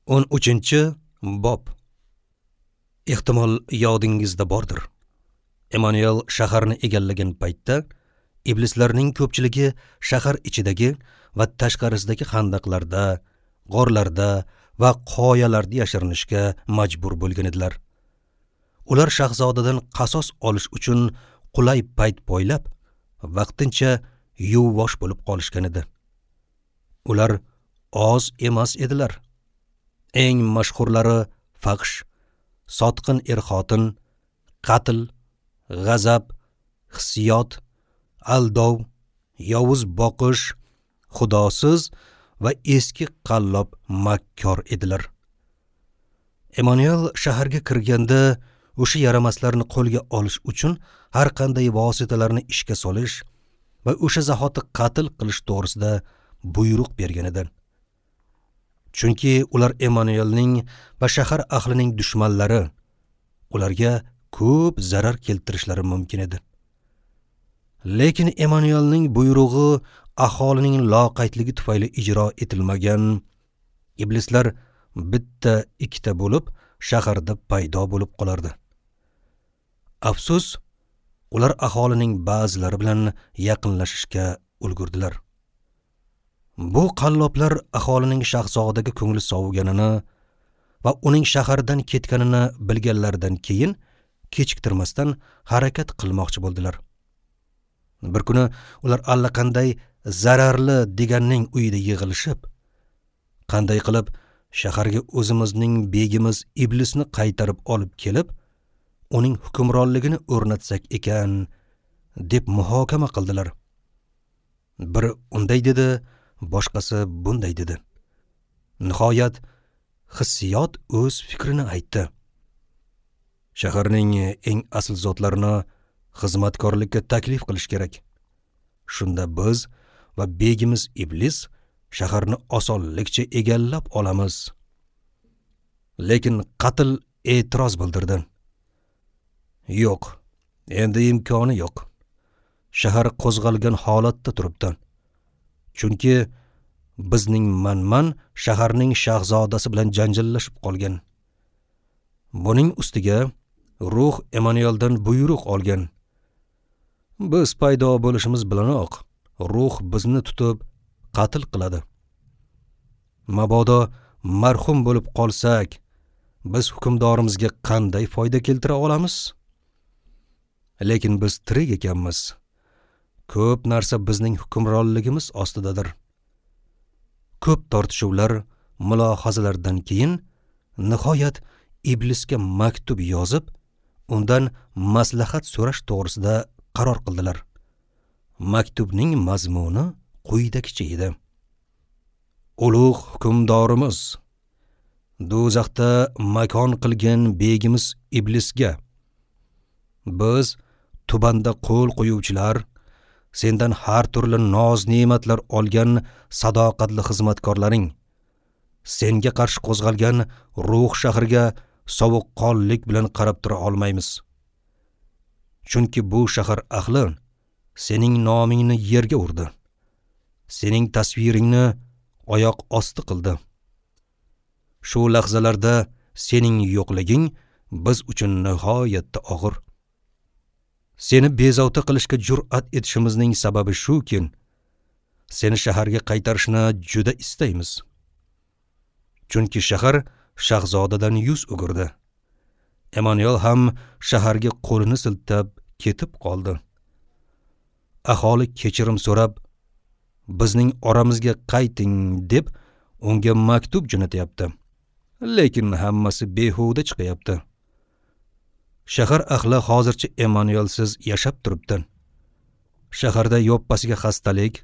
13-bob. Ehtimol yodingizda bordir. Emanuel shaharni egallagan paytda iblislarning ko'pchiligi shahar ichidagi va tashqarisidagi xandaqlarda, g'orlarda va qoyalarda yashirinishga majbur bo'lgan edilar. Ular shahzodadan qasos olish uchun qulay payt poylab, vaqtincha yuvvosh bo'lib qolishgan edi. Ular oz emas edilar. Eng mashhurlari fahsh, sotqin er-xotin, qatl, g'azab, hissiyot, aldov, yovuz boqish, xudosiz va eski qallob makkor edilar. Emanuel shaharga kirganda o'sha yaramaslarni qo'lga olish uchun har qanday vositalarni ishga solish va o'sha zahoti qatl qilish to'g'risida buyruq bergan edi. Chunki ular Emanuelning va shahar ahlining dushmanlari, ularga ko'p zarar keltirishlari mumkin edi. Lekin Emanuelning buyrug'i aholining loqaydligi tufayli ijro etilmagan. Iblislar bitta ikkita bo'lib shaharda paydo bo'lib qolardi. Afsus, ular aholining ba'zilari bilan yaqinlashishga ulgurdilar. Bu qalloblar aholining shahzodaga ko'ngli soviganini va uning shahardan ketganini bilganlaridan keyin kechiktirmasdan harakat qilmoqchi bo'ldilar. Bir kuni ular allaqanday zararli deganning uyida yig'ilishib, qanday qilib shaharga o'zimizning begimiz iblisni qaytarib olib kelib, uning hukmronligini o'rnatsak ekan deb muhokama qildilar. Biri unday dedi, boshqasi bunday dedi. Nihoyat hissiyot o'z fikrini aytdi. Shaharning eng asl zotlarini xizmatkorlikka taklif qilish kerak. Shunda biz va begimiz iblis shaharni osonlikcha egallab olamiz. Lekin qatl e'tiroz bildirdi. Yo'q, endi imkoni yo'q. Shahar qo'zg'algan holatda turibdi. Chunki bizning manman shaharning shahzodasi bilan janjallashib qolgan. Buning ustiga ruh Emanueldan buyruq olgan. Biz paydo bo'lishimiz bilanoq ruh bizni tutib qatl qiladi. Mabodo marhum bo'lib qolsak, biz hukmdorimizga qanday foyda keltira olamiz? Lekin biz tirik ekanmiz. Ko'p narsa bizning hukmronligimiz ostidadir. Ko'p tortishuvlar, mulohazalardan keyin nihoyat iblisga maktub yozib, undan maslahat so'rash to'g'risida qaror qildilar. Maktubning mazmuni quyidagicha edi. Ulug' hukmdorimiz, do'zaxda makon qilgan begimiz iblisga, biz tubanda qo'l qo'yuvchilar, sendan har turli noz-ne'matlar olgan sadoqatli xizmatkorlaring, senga qarshi qo'zg'algan ruh shaharga sovuqqonlik bilan qarab tura olmaymiz. Chunki bu shahar ahli sening nomingni yerga urdi. Sening tasviringni oyoq osti qildi. Shu lahzalarda sening yo'qliging biz uchun nihoyatda og'ir. Seni bezovta qilishga jur'at etishimizning sababi shuki, seni shaharga qaytarishni juda istaymiz. Chunki shahar shahzodadan yuz o'girdi. Emanuel ham shaharga qo'lini siltab ketib qoldi. Aholi kechirim so'rab, bizning oramizga qayting deb unga maktub jo'natyapti. Lekin hammasi behuda chiqyapti. Shahar ahli hozircha Emanuelsiz yashab turibdi. Shaharda yoppasiga xastalik,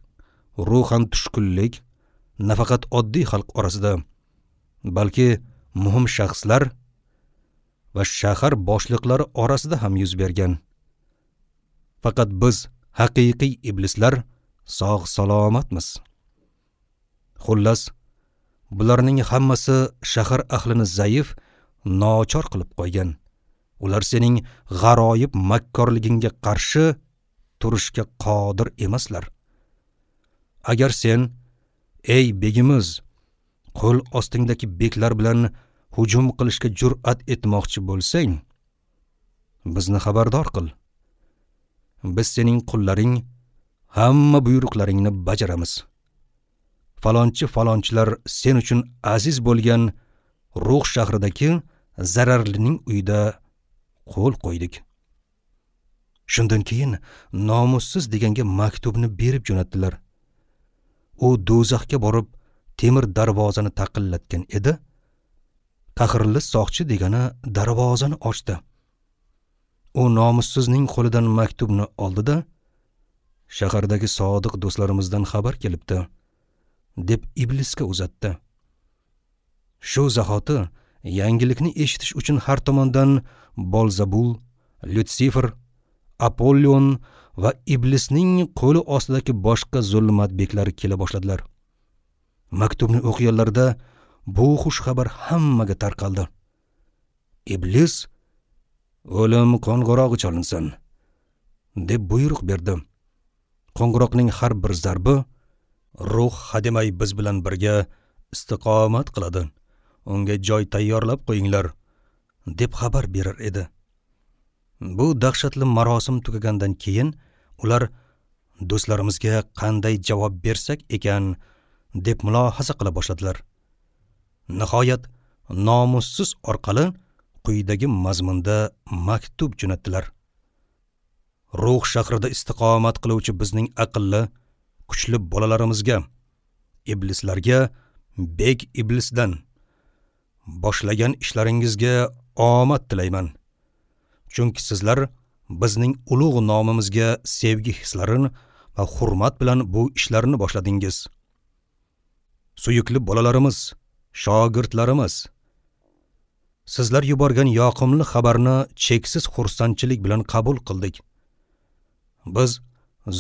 ruhan tushkunlik nafaqat oddiy xalq orasida, balki muhim shaxslar va shahar boshliqlari orasida ham yuz bergan. Faqat biz haqiqiy iblislar sog' salomatmiz. Xullas, bularning hammasi shahar ahlini zaif, nochor qilib qo'ygan. Ular sening g'aroyib makkorligingga qarshi turishga qodir emaslar. Agar sen, ey begimiz, Qo'l ostingdagi beklar bilan hujum qilishga jur'at etmoqchi bo'lsang, bizni xabardor qil. Biz sening qullaring, hamma buyruqlaringni bajaramiz. Falonchi falonchilar sen uchun aziz bo'lgan Ruh shahridagi zararlining uyida qo'l qo'ydik. Shundan keyin nomussiz deganga maktubni berib jo'natdilar. U do'zaxga borib temir darvozani taqillatgan edi. Qahrli soqchi degani darvozani ochdi. U nomussizning qo'lidan maktubni oldi-da, shahardagi sodiq do'stlarimizdan xabar kelibdi, deb iblisga uzatdi. Shu zahoti yangilikni eshitish uchun har tomondan Bolzabul, Lyutsifer, Apollon va iblisning qo'li ostidagi boshqa zulmat beklari kela boshladilar. Maktubni o'qiganlarda bu xush xabar hammaga tarqaldi. Iblis o'lim qo'ng'irog'i chalinsin, deb buyruq berdi. Qo'ng'iroqning har bir zarbi ruh hademay biz bilan birga istiqomat qiladi. Unga joy tayyorlab qo'yinglar, deb xabar berar edi. Bu dahshatli marosim tugagandan keyin ular do'stlarimizga qanday javob bersak ekan deb mulohaza qila boshladilar. Nihoyat nomussiz orqali quyidagi mazmunda maktub jo'natdilar. Ruh shahrida istiqomat qiluvchi bizning aqlli, kuchli bolalarimizga, iblislarga bek iblisdan boshlagan ishlaringizga omad tilayman. Chunki sizlar bizning ulug' nomimizga sevgi hislarini va hurmat bilan bu ishlarni boshladingiz. Suyukli bolalarimiz, shogirdlarimiz, sizlar yuborgan yoqimli xabarni cheksiz xursandchilik bilan qabul qildik. Biz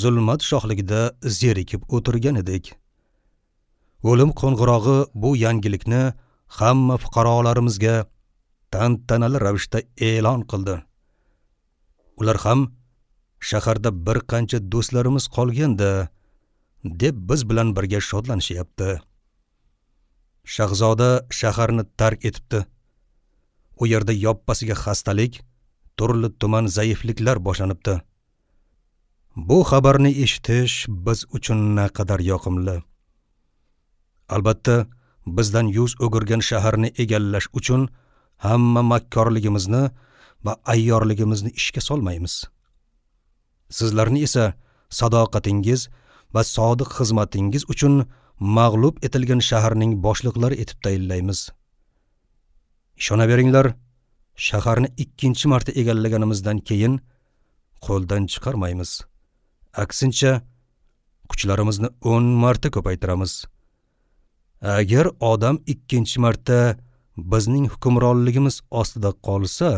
zulmat shohligida zerikib o'tirgan edik. O'lim qo'ng'irog'i bu yangilikni hamma fuqarolarimizga tantanali ravishda e'lon qildi. Ular ham shaharda bir qancha do'stlarimiz qolganda deb biz bilan birga shodlanishyapti. Shahzoda shaharni tark etibdi. U yerda yoppasiga xastalik, turli tuman zaifliklar boshlanibdi. Bu xabarni eshitish biz uchun naqadar yoqimli. Albatta, bizdan yuz o'girgan shaharni egallash uchun hamma makkorligimizni va ayyorligimizni ishga solmaymiz. Sizlarni esa sadoqatingiz va sodiq xizmatingiz uchun mag'lub etilgan shaharning boshliqlari etib tayinlaymiz. Ishonaveringlar, shaharni ikkinchi marta egallaganimizdan keyin qo'ldan chiqarmaymiz. Aksincha, kuchlarimizni 10 marta ko'paytiramiz. Agar odam ikkinchi marta bizning hukmronligimiz ostida qolsa,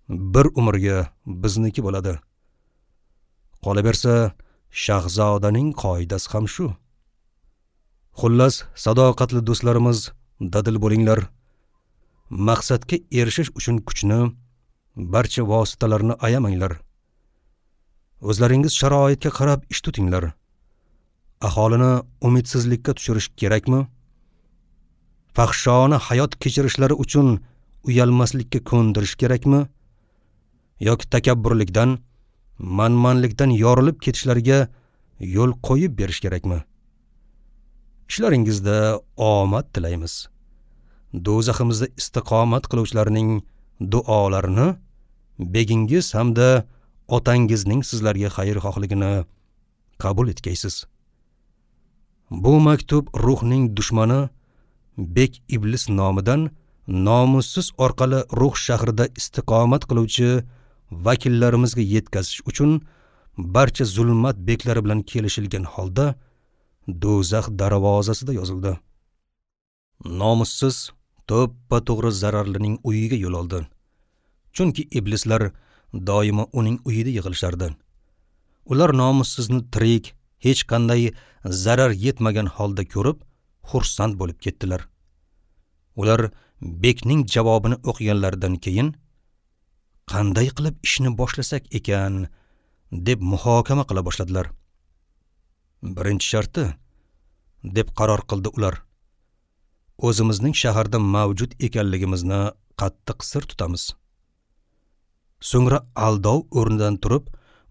bir umrga bizniki bo'ladi. Qolaversa, shahzodaning qoidasi ham shu. Xullas, sadoqatli do'stlarimiz, dadil bo'linglar. Maqsadga erishish uchun kuchni, barcha vositalarni ayamanglar. O'zlaringiz sharoitga qarab ish tutinglar. Aholini umidsizlikka tushirish kerakmi? Fahshona hayot kechirishlari uchun uyalmaslikka ko'ndirish kerakmi? Yoki takabburlikdan, manmanlikdan yorilib ketishlariga yo'l qo'yib berish kerakmi? Ishlaringizda omad tilaymiz. Do'zaximizda istiqomat qiluvchilarning duolarini begingiz hamda otangizning sizlarga xayrixohligini qabul etgaysiz. Bu maktub ruhning dushmani bek iblis nomidan nomussiz orqali ruh shahrida istiqomat qiluvchi vakillarimizga yetkazish uchun barcha zulmat beklari bilan kelishilgan holda do'zax darvozasida yozildi. Nomussiz to'ppa-to'g'ri zararlining uyiga yo'l oldi. Chunki iblislar doimo uning uyida yig'ilishardi. Ular nomussizni tirik, hech qanday zarar yetmagan holda ko'rib, xursand bo'lib ketdilar. Ular bekning javobini o'qiganlaridan keyin qanday qilib ishni boshlasak ekan deb muhokama qila boshladilar. Birinchi sharti, deb qaror qildi ular. O'zimizning shaharda mavjud ekanligimizni qattiq sir tutamiz. So'ngra aldov o'rnidan turib,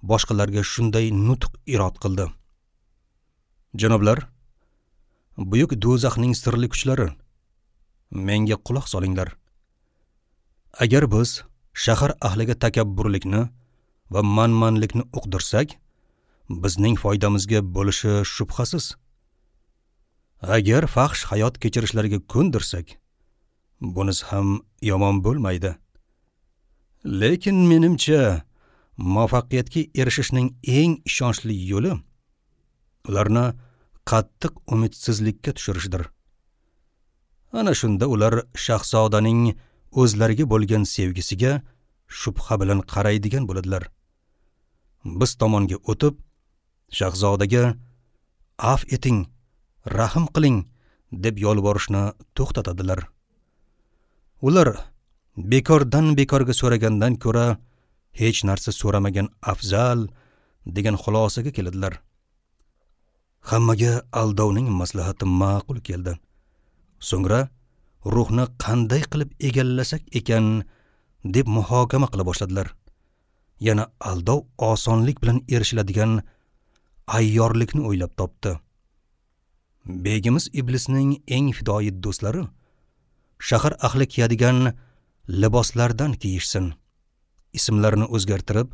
boshqalarga shunday nutq irod qildi. Janoblar, buyuk do'zaxning sirli kuchlari, menga quloq solinglar. Agar biz shahar ahliga takabburlikni va manmanlikni uqdirsak, bizning foydamizga bo'lishi shubhasiz. Agar fahsh hayot kechirishlariga ko'ndirsak, bunisi ham yomon bo'lmaydi. Lekin menimcha, muvaffaqiyatga erishishning eng ishonchli yo'li ularni qattiq umidsizlikka tushirishdir. Ana shunda ular shahzodaning o'zlariga bo'lgan sevgisiga shubha bilan qaraydigan bo'ladilar. Biz tomonga o'tib, shahzodaga "Af eting, rahm qiling" deb yolvorishni to'xtatadilar. Ular bekordan bekorga so'ragandan ko'ra hech narsa so'ramagan afzal degan xulosaga keladilar. Hammaga aldovning maslahati ma'qul keldi. So'ngra ruhni qanday qilib egallasak ekan deb muhokama qila boshladilar. Yana aldov osonlik bilan erishiladigan ayyorlikni o'ylab topdi. Begimiz iblisning eng fidoyi do'stlari shahar ahli kiyadigan liboslardan kiyishsin, ismlarini o'zgartirib,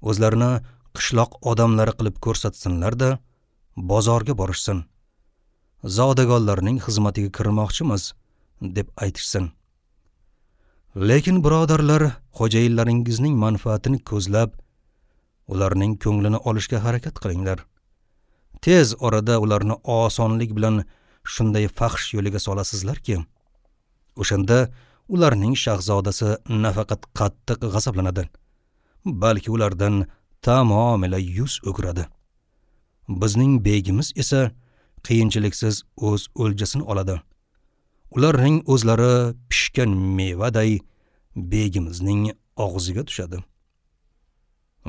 o'zlarini qishloq odamlari qilib ko'rsatsinlar-da, bozorga borishsin. Zodagonlarning xizmatiga kirmoqchimiz deb aytishsin. Lekin birodarlar, xo'jayinlaringizning manfaatini ko'zlab, ularning ko'nglini olishga harakat qilinglar. Tez orada ularni osonlik bilan shunday fahsh yo'liga solasizlarki, o'shanda ularning shahzodasi nafaqat qattiq g'azablanadi, balki ulardan tamomila yuz o'giradi. Bizning begimiz esa qiyinchiliksiz o'z o'ljasini oladi. Ularning o'zlari pishgan mevaday begimizning og'ziga tushadi.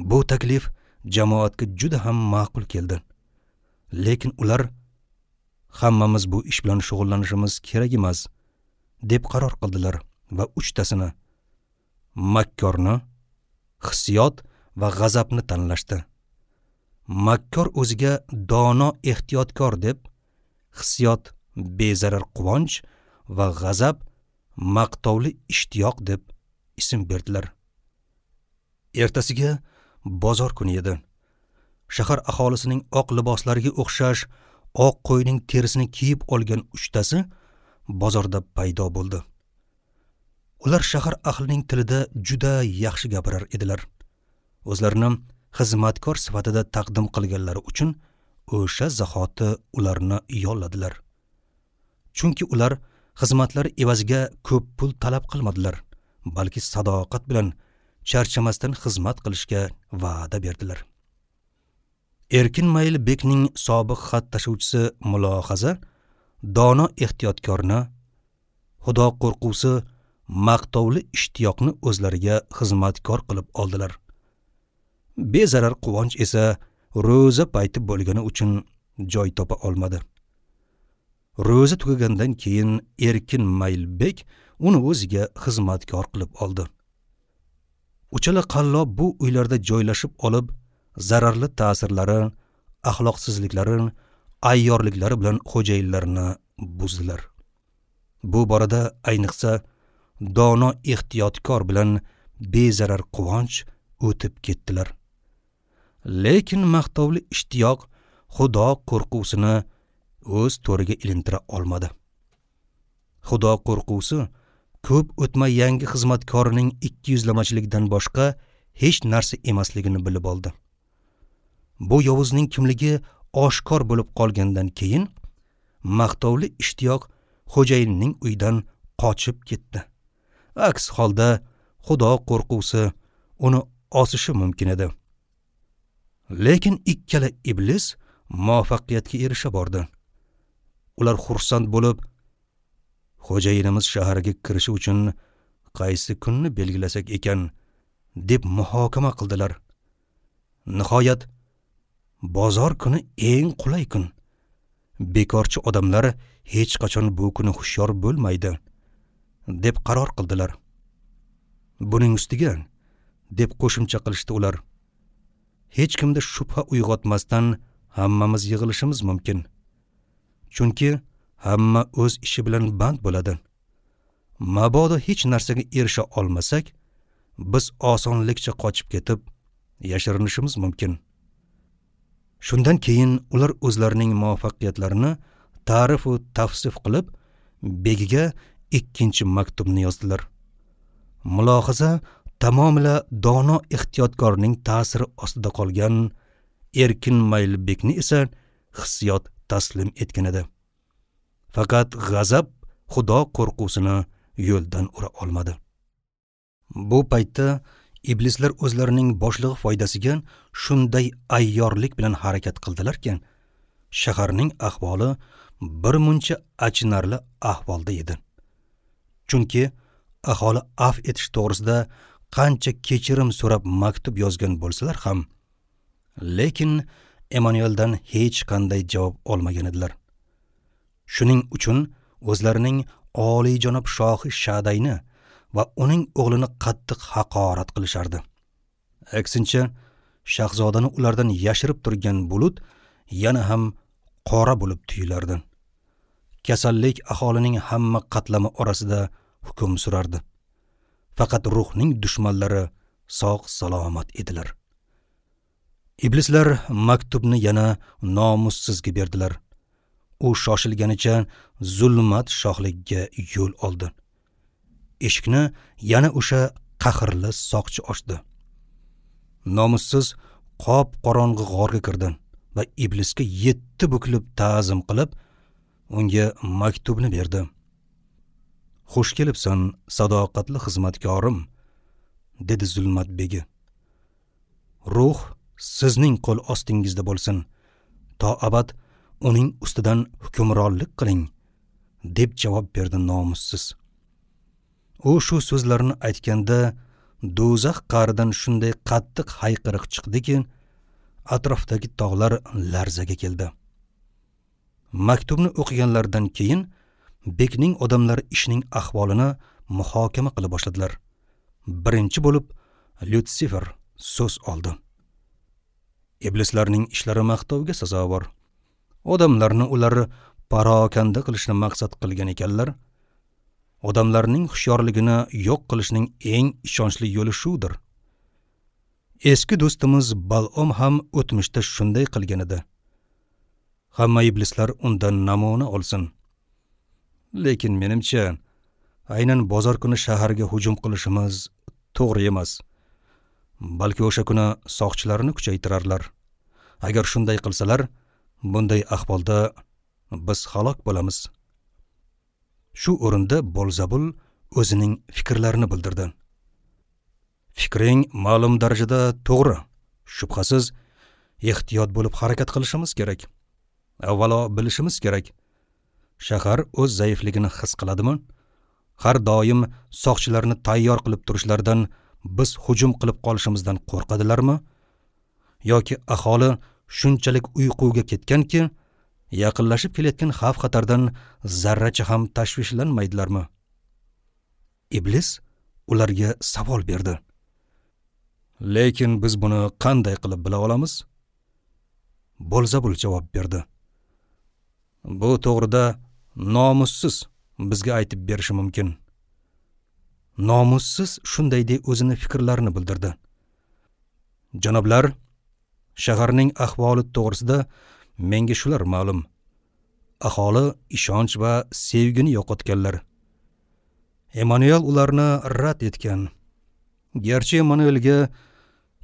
Bu taklif jamoatga juda ham ma'qul keldi. Lekin ular hammamiz bu ish bilan shug'ullanishimiz kerak emas deb qaror qildilar va uchtasini makkorni, hissiyot va g'azabni tanlashdi. Makkor o'ziga dono ehtiyotkor deb, hissiyot bezarar quvonch va g'azab maqtovli ishtiyoq deb ism berdilar. Ertasiga bozor kuni edi. Shahar aholisining oq liboslariga o'xshash oq qo'yning terisini kiyib olgan uchtasi bozorda paydo bo'ldi. Ular shahar ahlining tilida juda yaxshi gapirar edilar. O'zlarini xizmatkor sifatida taqdim qilganlari uchun o'sha zahoti ularni yolladilar. Chunki ular xizmatlari evaziga ko'p pul talab qilmadilar, balki sadoqat bilan charchamasdan xizmat qilishga va'da berdilar. Erkin Mayl bekning sobiq xat tashuvchisi mulohaza dono ehtiyotkorni, xudo qo'rquvsi maqtovli ishtiyoqni o'zlariga xizmatkor qilib oldilar. Bezarar quvonch esa ro'za payti bo'lgani uchun joy topa olmadi. Ro'za tugagandan keyin Erkin Maylbek uni o'ziga xizmatkor qilib oldi. Uchala qallob bu uylarda joylashib olib, zararli ta'sirlari, axloqsizliklari, ayyorliklari bilan xo'jayinlarini buzdilar. Bu borada ayniqsa dono ehtiyotkor bilan bezarar quvonch o'tib ketdilar. Lekin maqtovli ishtiyoq xudo qo'rquvsini o'z to'riga ilintira olmadi. Xudo qo'rquvsi ko'p o'tmay yangi xizmatkorining ikkiyuzlamachilikdan boshqa hech narsa emasligini bilib oldi. Bu yovuzning kimligi oshkor bo'lib qolgandan keyin maqtovli ishtiyoq xo'jayinning uyidan qochib ketdi. Aks holda xudo qo'rquvsi uni osishi mumkin edi. Lekin ikkala iblis muvaffaqiyatga erisha bordi. Ular xursand bo'lib, xo'jayinimiz shaharga kirishi uchun qaysi kunni belgilasak ekan deb muhokama qildilar. Nihoyat bozor kuni eng qulay kun. Bekorchi odamlar hech qachon bu kuni hushyor bo'lmaydi, deb qaror qildilar. Buning ustiga, deb qo'shimcha qilishdi ular, hech kimda shubha uyg'otmasdan hammamiz yig'ilishimiz mumkin. Chunki hamma o'z ishi bilan band bo'ladi. Mabodo hech narsaga erisha olmasak, biz osonlikcha qochib ketib, yashirinishimiz mumkin. Shundan keyin ular o'zlarining muvaffaqiyatlarini ta'rif va tavsif qilib, begiga ikkinchi maktubni yozdilar. Mulohaza tamomila dono ehtiyotkorning ta'siri ostida qolgan erkin mayli bekni esa hissiyot taslim etgan edi. Faqat g'azab xudo qo'rquvsini yo'ldan ura olmadi. Bu paytda iblislar o'zlarining boshlig'i foydasiga shunday ayyorlik bilan harakat qildilarki, shaharning ahvoli bir muncha achinarli ahvolda edi. Chunki aholi af etish to'g'risida qancha kechirim so'rab maktub yozgan bo'lsalar ham, lekin Emanueldan hech qanday javob olmagan edilar. Shuning uchun o'zlarining oliyjanob shohi Shadayni va uning o'g'lini qattiq haqorat qilishardi. Aksincha, shahzodani ulardan yashirib turgan bulut yana ham qora bo'lib tuyulardi. Kasallik aholining hamma qatlami orasida hukm surardi. Faqat ruhning dushmanlari sog' salomat edilar. Iblislar maktubni yana nomussizga berdilar. U shoshilganicha zulmat shohligiga yo'l oldi. Eshikni yana o'sha qahrli soqchi ochdi. Nomussiz qop-qorong'i g'orga kirdi va iblisga 7 bukilib ta'zim qilib, unga maktubni berdi. "Xush kelibsan, sadoqatli xizmatkorim", dedi zulmat begi. "Ruh sizning qo'l ostingizda bo'lsin. To abad uning ustidan hukmronlik qiling", deb javob berdi nomussiz. U shu so'zlarni aytganda do'zax qa'ridan shunday qattiq hayqiriq chiqdiki, atrofdagi tog'lar larzaga keldi. Maktubni o'qiganlaridan keyin bekning odamlari ishning ahvolini muhokama qila boshladilar. Birinchi bo'lib Lyutsifer so'z oldi. Iblislarning ishlari maqtovga sazovor. Odamlarni ular parokanda qilishni maqsad qilgan ekanlar. Odamlarning hushyorligini yo'q qilishning eng ishonchli yo'li shudir. Eski do'stimiz Balom ham o'tmishda shunday qilgan edi. Hamma iblislar undan namuna olsin. Lekin menimcha, aynan bozor kuni shaharga hujum qilishimiz to'g'ri emas. Balki o'sha kuni soqchilarni kuchaytirarlar. Agar shunday qilsalar, bunday ahvolda biz halok bo'lamiz. Shu o'rinda Bolzabul o'zining fikrlarini bildirdi. Fikring ma'lum darajada to'g'ri. Shubhasiz, ehtiyot bo'lib harakat qilishimiz kerak. Avvalo bilishimiz kerak. Shahar o'z zaifligini his qiladimi? Har doim soqchilarni tayyor qilib turishlaridan biz hujum qilib qolishimizdan qo'rqadilarmi? Yoki aholi shunchalik uyquga ketganki, yaqinlashib kelayotgan xavf-xatardan zarracha ham tashvishlanmaydilarmi? Iblis ularga savol berdi. Lekin biz buni qanday qilib bila olamiz? Bolzabul javob berdi. Bu to'g'rida nomussiz bizga aytib berishi mumkin. Nomussiz shunday deb o'zini fikrlarini bildirdi. Janoblar, shaharning ahvoli to'g'risida menga shular ma'lum. Aholi ishonch va sevgini yo'qotganlar. Emanuel ularni rad etgan. Garchi Emanuelga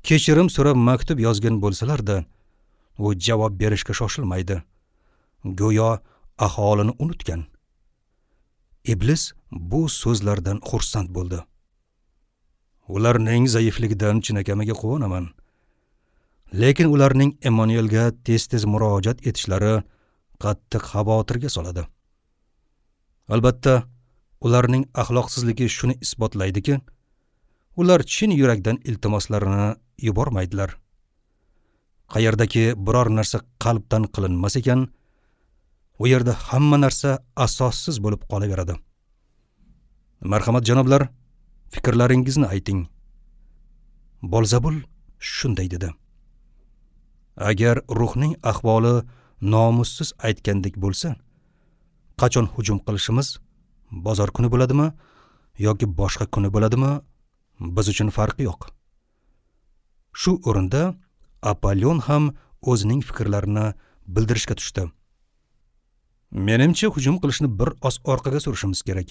kechirim so'rab maktub yozgan bo'lsalar-da, u javob berishga shoshilmaydi. Go'yo aholini unutgan. Iblis bu so'zlardan xursand bo'ldi. Ularning zaifligidan chinakamiga quvonaman. Lekin ularning Emanuelga tez-tez murojaat etishlari qattiq xavotirga soladi. Albatta, ularning axloqsizligi shuni isbotlaydiki, ular chin yurakdan iltimoslarini yubormaydilar. Qayerdaki biror narsa qalbdan qilinmas ekan, U yerda hamma narsa asossiz bo'lib qolaveradi. Marhamat janoblar, fikrlaringizni ayting. Bolzabul shunday dedi: Agar ruhning ahvoli nomussiz aytgandek bo'lsa, qachon hujum qilishimiz, bozor kuni bo'ladimi yoki boshqa kuni bo'ladimi, biz uchun farqi yo'q. Shu o'rinda Apollon ham o'zining fikrlarini bildirishga tushdi. Menimcha hujum qilishni bir oz orqaga surishimiz kerak.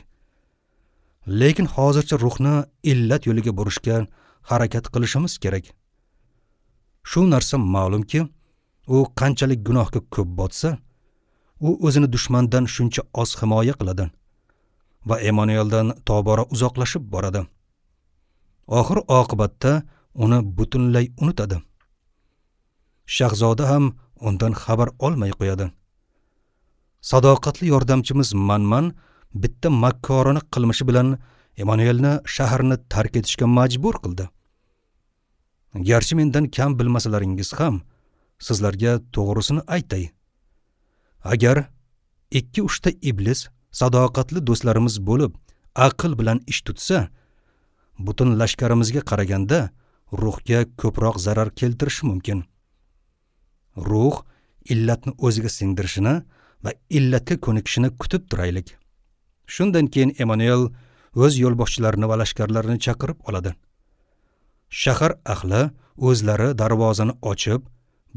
Lekin hozircha ruhni illat yo'liga burishga harakat qilishimiz kerak. Shu narsa ma'lumki, u qanchalik gunohga ko'p botsa, u o'zini dushmandan shuncha oz himoya qiladi va Emanueldan tobora uzoqlashib boradi. Oxir oqibatda uni butunlay unutadi. Shahzoda ham undan xabar olmay qo'yadi. Sadoqatli yordamchimiz Manman bitta makkorona qilmishi bilan Emanuelni shaharni tark etishga majbur qildi. Garchi mendan kam bilmasalaringiz ham, sizlarga to'g'risini aytay. Agar 2-3 ta iblis sadoqatli do'stlarimiz bo'lib, aql bilan ish tutsa, butun lashkarimizga qaraganda ruhga ko'proq zarar keltirishi mumkin. Ruh illatni o'ziga singdirishini va illatga ko'nikishini kutib turaylik. Shundan keyin Emanuel o'z yo'lboshchilarini va lashkarlarini chaqirib oladi. Shahar ahli o'zlari darvozani ochib,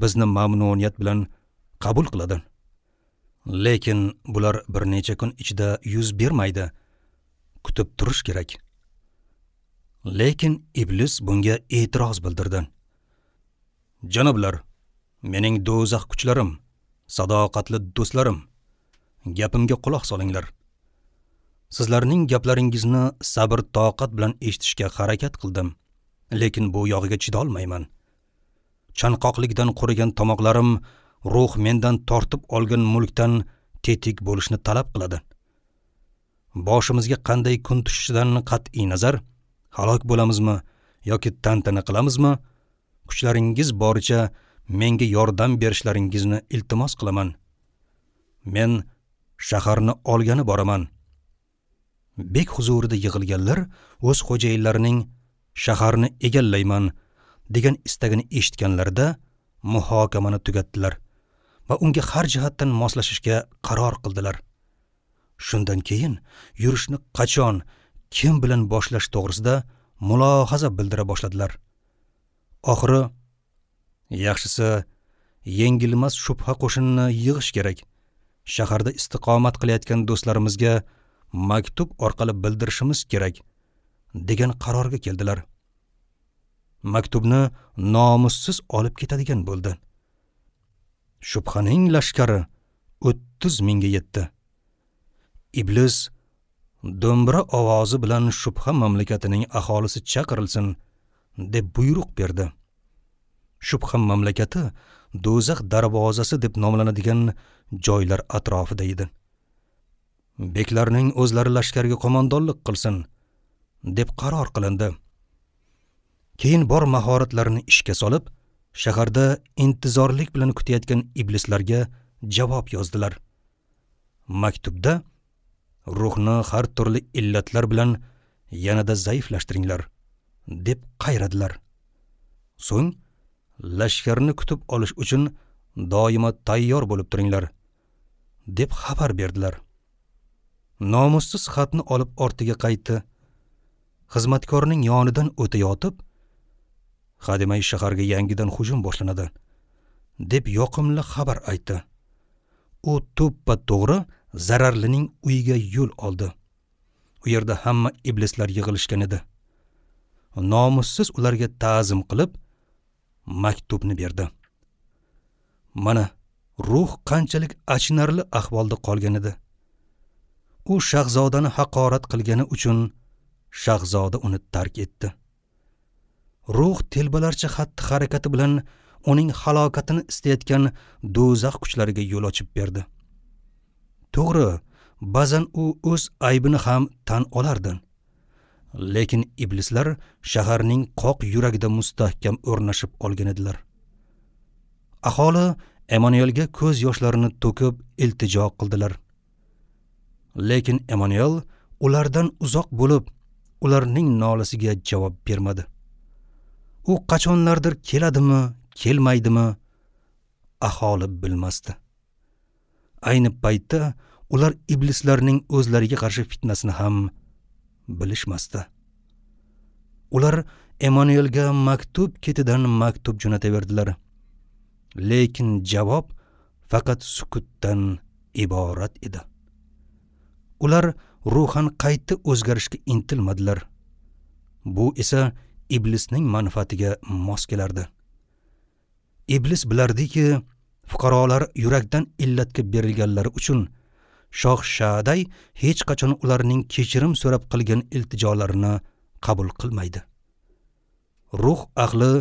bizni mamnuniyat bilan qabul qiladi. Lekin bular bir necha kun ichida yuz bermaydi. Kutib turish kerak. Lekin iblis bunga e'tiroz bildirdi. Janoblar, mening do'zax kuchlarim, sadoqatli do'stlarim, gapimga quloq solinglar. Sizlarning gaplaringizni sabr toqat bilan eshitishga harakat qildim, lekin bu yog'iga chidolmayman. Chanqoqlikdan qurigan tomoqlarim ruh mendan tortib olgan mulkdan tetik bo'lishni talab qiladi. Boshimizga qanday kun tushishidan qat'iy nazar, halok bo'lamizmi yoki tantana qilamizmi, kuchlaringiz boricha menga yordam berishlaringizni iltimos qilaman. Men shaharni olgani boraman. Bek huzurida yig'ilganlar o'z xo'jayinlarining shaharni egallayman degan istagini eshitganlarida muhokamani tugatdilar va unga har jihatdan moslashishga qaror qildilar. Shundan keyin yurishni qachon, kim bilan boshlash to'g'risida mulohaza bildira boshladilar. Oxiri yaxshisi yengilmas shubha qo'shinini yig'ish kerak. Shaharda istiqomat qilayotgan do'stlarimizga maktub orqali bildirishimiz kerak degan qarorga keldilar. Maktubni nomussiz olib ketadigan bo'ldi. Shubhaning lashkari 30 mingga yetdi. Iblis do'mbira ovozi bilan shubha mamlakatining aholisi chaqirilsin deb buyruq berdi. Shubha mamlakati do'zax darvozasi deb nomlanadigan joylar atrofida edi. Beklarning o'zlari lashkarga qo'mondonlik qilsin deb qaror qilindi. Keyin bor mahoratlarini ishga solib, shaharda intizorlik bilan kutayotgan iblislarga javob yozdilar. Maktubda ruhni har turli illatlar bilan yanada zaiflashtiringlar deb qayradilar. So'ng lashkarni kutib olish uchun doimo tayyor bo'lib turinglar deb xabar berdilar. Nomussiz xatni olib ortiga qaytdi. Xizmatkorning yonidan o'tayotib, "Hademay shaharga yangidan hujum boshlanadi" deb yoqimli xabar aytdi. U to'ppa-to'g'ri zararlining uyiga yo'l oldi. U yerda hamma iblislar yig'ilishgan edi. Nomussiz ularga ta'zim qilib, maktubni berdi. Mana ruh qanchalik achinarli ahvolda qolgan edi. U shahzodani haqorat qilgani uchun shahzoda uni tark etdi. Ruh telbalarcha xatti-harakati bilan uning halokatini istayotgan do'zax kuchlariga yo'l ochib berdi. To'g'ri, ba'zan u o'z aybini ham tan olardi. Lekin iblislar shaharning qoq yuragida mustahkam o'rnashib olgan edilar. Aholi Emanuelga ko'z yoshlarini to'kib iltijo qildilar. Lekin Emanuel ulardan uzoq bo'lib, ularning nolasiga javob bermadi. U qachonlardir keladimi, kelmaydimi, aholi bilmasdi. Ayni paytda ular iblislarning o'zlariga qarshi fitnasini ham bilishmasdi. Ular Emanuelga maktub ketidan maktub jo'nataverdilar. Lekin javob faqat sukutdan iborat edi. Ular ruhan qayta o'zgarishga intilmadilar. Bu esa iblisning manfaatiga mos kelardi. Iblis bilardiki, fuqarolar yurakdan illatga berilganlari uchun Shoh Shaday hech qachon ularning kechirim so'rab qilgan iltijolarini qabul qilmaydi. Ruh aqli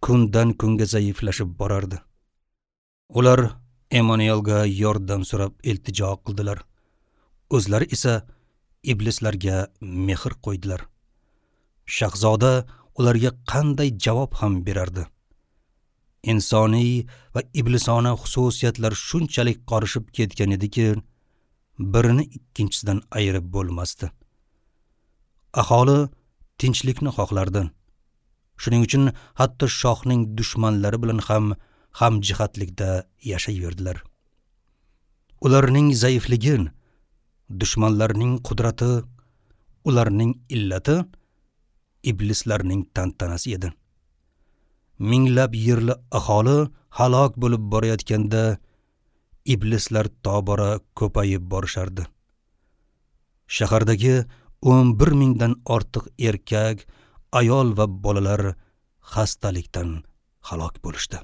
kundan kunga zaiflashib borardi. Ular Emanuelga yordam so'rab iltijo qildilar. O'zlari esa iblislarga mehr qo'ydilar. Shahzoda ularga qanday javob ham berardi? Insoniy va iblisona xususiyatlar shunchalik qorishib ketgan ediki, birini ikkinchisidan ayirib bo'lmasdi. Aholi tinchlikni xohlardi. Shuning uchun hatto shohning dushmanlari bilan ham hamjihatlikda yashayverdilar. Ularning zaifligi, dushmanlarning qudrati, ularning illati iblislarning tantanasi edi. Minglab yerli aholi halok bo'lib borayotganda iblislar tobora ko'payib borishardi. Shahardagi 11 mingdan ortiq erkak, ayol va bolalar xastalikdan halok bo'lishdi.